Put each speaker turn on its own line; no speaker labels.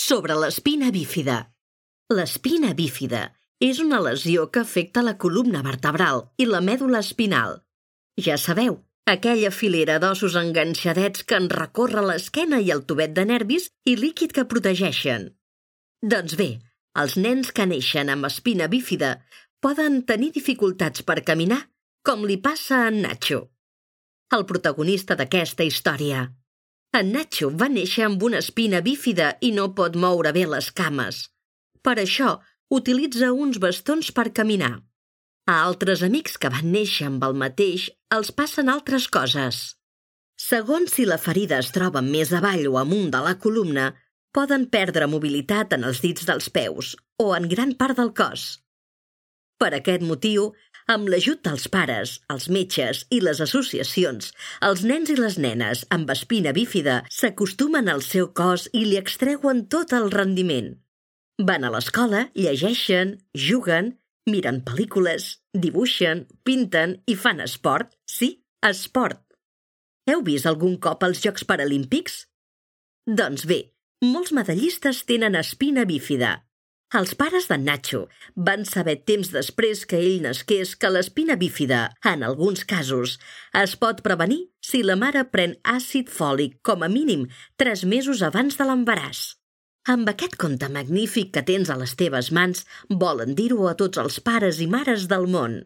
sobre l'espina bífida. L'espina bífida és una lesió que afecta la columna vertebral i la mèdula espinal. Ja sabeu, aquella filera d'ossos enganxadets que en recorre l'esquena i el tubet de nervis i líquid que protegeixen. Doncs bé, els nens que neixen amb espina bífida poden tenir dificultats per caminar, com li passa a en Nacho, el protagonista d'aquesta història. En Nacho va néixer amb una espina bífida i no pot moure bé les cames. Per això, utilitza uns bastons per caminar. A altres amics que van néixer amb el mateix els passen altres coses. Segons si la ferida es troba més avall o amunt de la columna, poden perdre mobilitat en els dits dels peus o en gran part del cos. Per aquest motiu, amb l'ajut dels pares, els metges i les associacions, els nens i les nenes amb espina bífida s'acostumen al seu cos i li extreuen tot el rendiment. Van a l'escola, llegeixen, juguen, miren pel·lícules, dibuixen, pinten i fan esport. Sí, esport. Heu vist algun cop els Jocs Paralímpics? Doncs bé, molts medallistes tenen espina bífida. Els pares d'en Nacho van saber temps després que ell nasqués que l'espina bífida, en alguns casos, es pot prevenir si la mare pren àcid fòlic com a mínim 3 mesos abans de l'embaràs. Amb aquest conte magnífic que tens a les teves mans, volen dir-ho a tots els pares i mares del món.